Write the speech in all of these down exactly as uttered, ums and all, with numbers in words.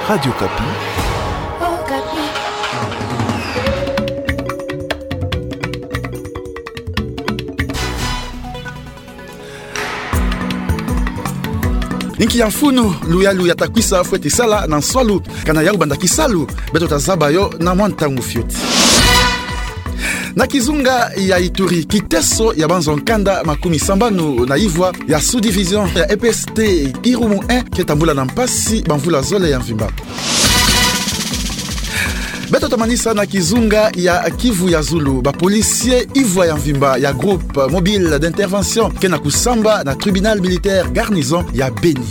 Radio Okapi. Inki ya mfunu luyalu ya ta kwisa fweti sala na nswalu, kana yau banda kisalu, beto ta zaba yo na mwa ntangu fioti. Na kizunga ya Ituri, kiteso ya banzo nkanda makumi sambanu na ivwa ya sous-division ya E P S T Irumu un ke tambula na mpasi bamvula zole ya mvimba. Beto ta manisa na kizunga ya Kivu ya Zulu, ba policiers ivwa ya mvimba ya groupe mobile d'intervention ke na kusamba na tribunal militaire garnison ya Beni.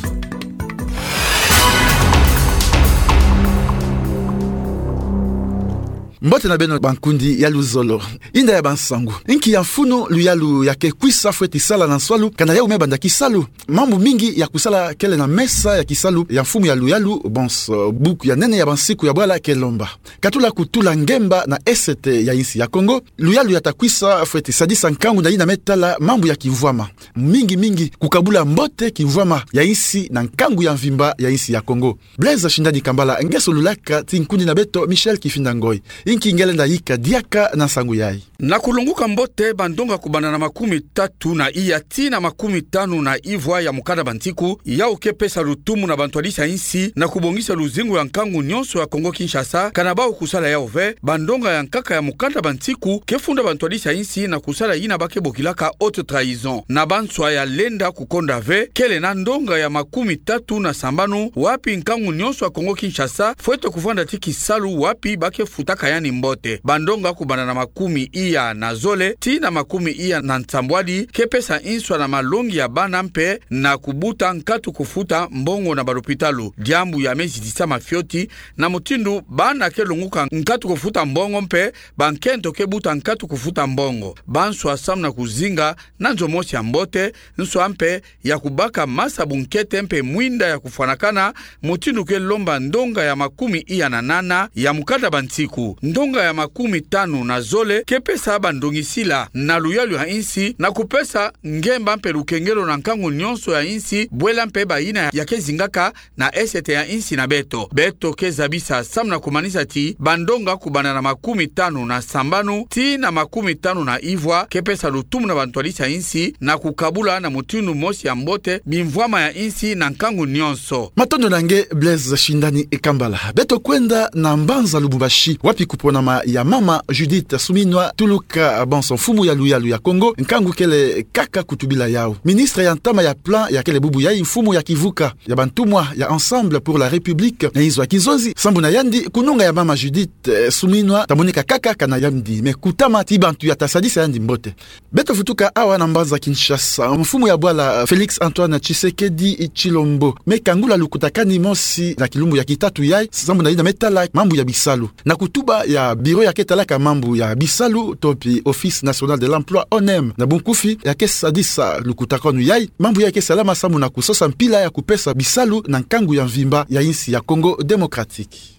Mbote na beno bankundi ya luzolo. Inda ya bansangu. Inki ya mfunu luyalu ya ke kwisa fweti sala na nswalu, kana yau me banda kisalu. Mambu mingi ya kusala kele na mesa ya kisalu ya mfumu ya luyalu, bonso buku ya nene ya bansiku ya bwala ke lomba. Katula kutula ngemba na esete ya insi ya Kongo, luyalu ya ta kwisa fweti sadisa nkangu na yina me tala mambu ya kimvwama. Mingi mingi kukabula mbote kimvwama ya insi na nkangu ya mvimba ya insi ya Kongo. Blaise Shindani Kambala nge solulaka ti nkundi na beto Michel Kifinda Ngoi. Inki nge lenda yika diaka na nsangu yayi. Na kulonguka mbote bandonga kubanda na makumi tatu na iya tii na makumi tanu na ivwa ya mukanda bansiku, yau ke pesa lutumu na bantwadisi ya insi na kubongisa luzingu ya nkangu nyonso ya Kongo Kinshasa, kana bau kusala yau ve, bandonga ya nkaka ya mukanda bansiku ke funda bantwadisi ya insi na kusala yina ba ke bokilaka haute trahison. Na banswa ya lenda kukonda ve, kele na ndonga ya makumi tatu na sambanu, wapi nkangu nyonso ya Kongo Kinshasa fwete kuvanda ti kisalu wapi ba ke futaka yandi mbote. Bandonga kubanda na makumi iya na zole tii na makumi iya na nsambwadi ke pesa nswa na malongi ya bana mpe na kubuta nkatu kufuta mbongo na balopitalu. Diambu ya me zidisama fioti, na mutindu bana ke longuka nkatu kufuta mbongo mpe bankento ke buta nkatu kufuta mbongo. Banswa samu na kuzinga na nzo mosi ya mbote, nswa mpe ya kubaka masa bunkete mpe mwinda ya kufwanakana, mutindu ke lomba ndonga ya makumi iya na nana ya mukanda bansiku. Ndonga ya makumi tanu na zole ke pesa bandongisila na luyalu ya insi na kupesa ngemba mpe lukengelo na nkangu nyonso ya insi, bwela mpe bayina ya ke zingaka na esete ya insi na beto. Beto ke zabisa samu na kumanisa ti bandonga kubanda na makumi tanu na sambanu tii na makumi tanu na ivwa ke pesa lutumu na bantwadisi ya insi na kukabula na mutindu mosi ya mbote bimvwama ya insi na nkangu nyonso. Matondo na nge Blaise Shindani Kambala. Beto kwenda na mbanza Lubumbashi, wapi kuponama ya mama Judith Suminwa Tuluka, bonso mfumu ya luyalu ya Kongo, nkangu kele kaka kutubila yau. Ministre ya ntama ya plan ya kele bubu yayi mfumu ya kivuka ya bantumwa ya Ensemble pour la République na inzo ya kizonzi, sambu na yandi, kununga ya mama Judith, eh, Suminwa ta moneka kaka kana yandi me kutama ti bantu ya ta sadisa yandi mbote. Beto vutuka awa na mbanza Kinshasa. Mfumu ya bwala, eh, Félix Antoine Tshisekedi Tshilombo me kangula lukutakanu mosi na kilumbu ya kitatu yayi, sambu na yina me tala mambu ya bisalu. Na kutuba ya bureau ya ke talaka mambu ya bisalu, to mpe Office National de l'Emploi, O N E M na bunkufi, ya ke sadisa lukutakanu yayi, mambu ya ke salama samu na kusosa mpila ya kupesa bisalu na nkangu ya mvimba ya insi ya Congo Démocratique.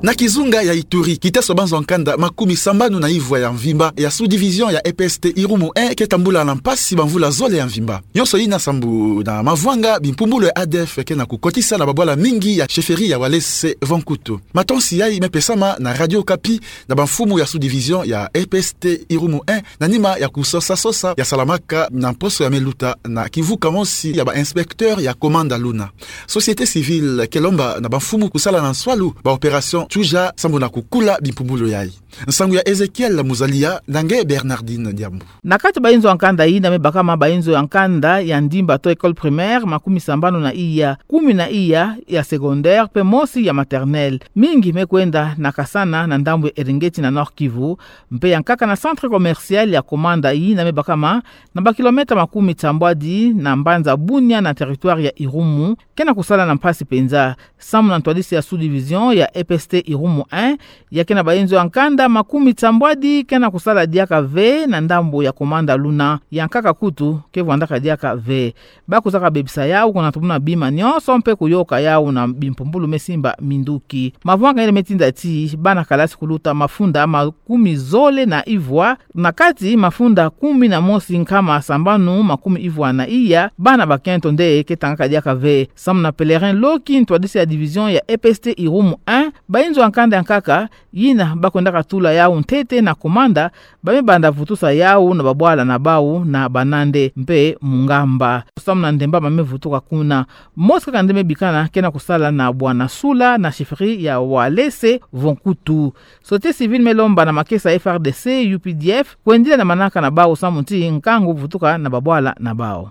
Na kizunga ya Ituri, kiteso banzo nkanda makumi sambanu na ivwa ya mvimba ya sous-division ya E P S T Irumu un ke tambula na mpasi bamvula zole ya mvimba. Nyonso yina sambu na mavwanga bimpumbulu ya A D F ke na kukotisa na babwala mingi ya chefferie ya Walese Vonkutu. Matonsi yayi me pesama na Radio Okapi na bamfumu ya sous-division ya E P S T Irumu un, na nima ya kusosa-sosa ya salamaka na mposo ya me luta na kivuka mosi ya ba inspecteur ya Komanda Luna. Société civile ke lomba na bamfumu kusala na nswalu ba opération Tsuja sambu na kukula bimpumbulu yayi. Nsangu ya Ezekiel Muzalia na nge Bernardine Diambu. Na kati ba inzo ya nkanda yina me bakama ba inzo ya nkanda ya ndimba to école primaire makumi sambanu na iya, kumi na iya ya secondaire mpe mosi ya maternelle. Mingi me kwenda na Kasana na ndambu ya Eringeti na Nord-Kivu, mpe ya nkaka na centre commercial ya Komanda yina me bakama na ba kilomètre makumi sambwadi na mbanza Bunia na territoire ya Irumu, ke na kusala na mpasi mpenza, samu na ntwadisi ya sous-division ya E P S T Irumu un, ya ke na bayinzo ya nkanda makumi sambwadi ke na kusala diaka ve na ndambo ya komanda luna, ya nkaka kutu ke vwandaka diaka ve. Ba kwiza kabebisa yawu, kuna tumuna bima nionso mpe kuyoka yawu na bimpumbulu me simba minduki. Mavwanga yele me tinda ti bana kalasi kuluta mafunda makumi zole na ivwa, na kati mafunda kumi na mosi nkama sambanu makumi ivwa na iya, bana bakento nde ke tangaka diaka ve. Samu na Pèlerin Loki, ntwadisi ya division ya E P S T Irumu un, bayinzo ya nkanda ya nkaka, yina ba kwendaka tula yawu ntete na komanda, ba me banda vutusa yawu na babwala na bawu na banande mpe mungamba. Samu na ndemba ba me vutuka kuna. Mosi kaka nde me bikana ke na kusala na Bwana Sula na chefferie ya Walese Vonkutu. Société civile me lomba na makesa F R D C, U P D F, kwendila na manaka na bawu samu ti nkangu vutuka na babwala na bawu.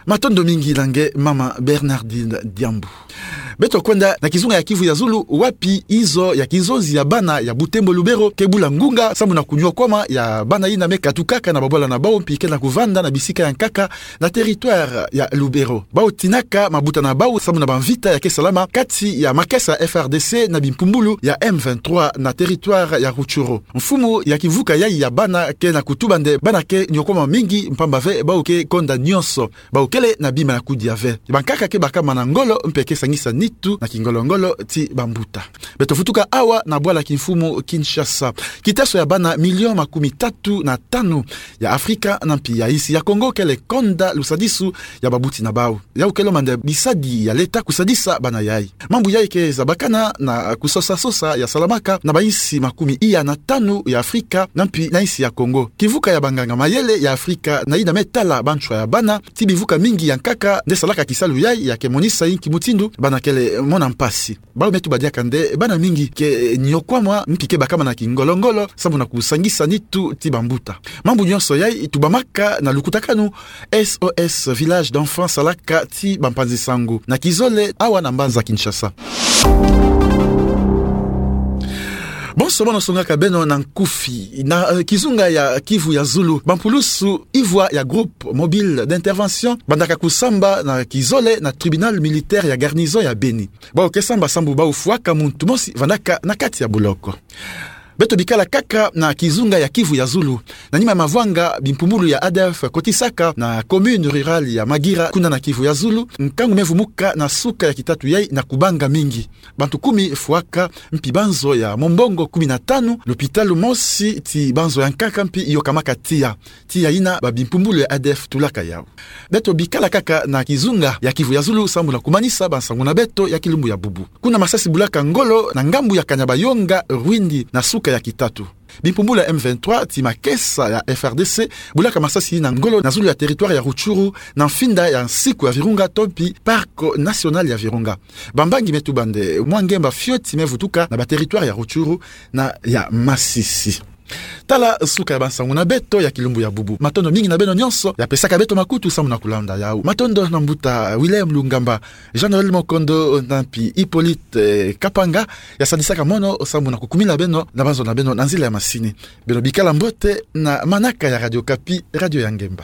Matondo mingi na nge mama Bernardine Diambu. Beto kwenda na kizunga ya Kivu ya Zulu, wapi izo ya kinzonzi ya bana ya Butembo Lubero ke bula ngunga samu na kuniokwama ya bana yina me katukaka na babwala na bawu mpi ke na kuvanda na bisika ya nkaka na territoire ya Lubero. Bawu tinaka mabuta na bawu samu na bamvita ya ke salama kati ya makesa F R D C na bimpumbulu ya M vingt-trois na territoire ya Rutshuru. Mfumu ya kivuka yayi ya bana ke na kutuba nde bana ke niokwama mingi mpamba ve bawu ke konda nionso. Bawu kele na bima ya kudia ve. Bankaka ke bakama na ngolo mpe ke sangisa nitu na kingolo-ngolo ti bambuta. Beto vutuka awa na bwala kimfumu Kinshasa. Kitaso ya bana million makumi tatu na tanu ya Afrika na mpi ya insi ya Congo kele konda lusadisu ya babuti na bawu. Yawu ke lomba nde bisadi ya leta kusadisa bana yayi. Mambu yayi ke zabakana na kusosa-sosa ya salamaka na bainsi makumi iya na tanu ya Afrika na mpi na insi ya Congo. Kivuka ya banganga-mayele ya Afrika na yina me tala banchwa ya bana ti bivuka mingi ya nkaka nde salaka kisalu yayi ya ke monisa inki mutindu bana kele mona mpasi. Bawu me tuba diaka nde bana mingi ke niokwama mpi ke bakama na kingolo-ngolo samu na kusangisa nitu ti bambuta. Mambu nionso yayi tubamaka na lukutakanu S O S Village d'Enfants salaka ti bampanzi-nsangu na kizole awa na mbanza Kinshasa. Bonso bono songaka beno na nkufi. Na, eh, kizunga ya Kivu ya Zulu, bampulusu ivwa ya groupe mobile d'intervention bandaka kusamba na kizole na tribunal militaire ya garnison ya Beni. Bawu ke samba sambu bawu fwaka muntu mosi vandaka na kati ya boloko. Beto bikala kaka na kizunga ya Kivu ya Zulu. Na nima mavwanga bimpumbulu ya A D F kotisaka na commune rurale ya Magira, kuna na Kivu ya Zulu, nkangu me vumuka na suka ya kitatu yayi na kubanga mingi. Bantu kumi fwaka, mpi banzo ya mombongo kumi na tanu, lupitalu mosi ti banzo ya nkaka mpi yokamaka tiya. Tiya yina babimpumbulu ya A D F tulaka yawu. Beto bikala kaka na kizunga ya Kivu ya Zulu sambu na kumanisa bansangu na beto ya kilumbu ya bubu. Kuna masasi bulaka ngolo na ngambu ya Kanyabayonga, Rwindi, na suka ya kitatu. Bimpumbulu ya M vingt-trois ti makesa ya F R D C bulaka masasi na ngolo na zulu ya territoire ya Rutshuru na mfinda ya nsiku ya Virunga to mpi Parc National ya Virunga. Bambangi me tuba nde mwa ngemba fioti me vutuka na baterritoire ya Rutshuru na ya Masisi. Tala suka ya bansangu na beto ya kilumbu ya bubu. Matondo mingi na beno nionso ya pesaka beto makutu sambu na kulanda yawu. Matondo na mbuta William Lungamba, Jean-Noël Mokondo, na mpi Hippolyte, eh, Kapanga, ya sadisaka mono sambu na kukumila beno na banzo na beno na nzila ya masini. Beno bikala mbote na manaka ya Radio Okapi, radio ya ngemba.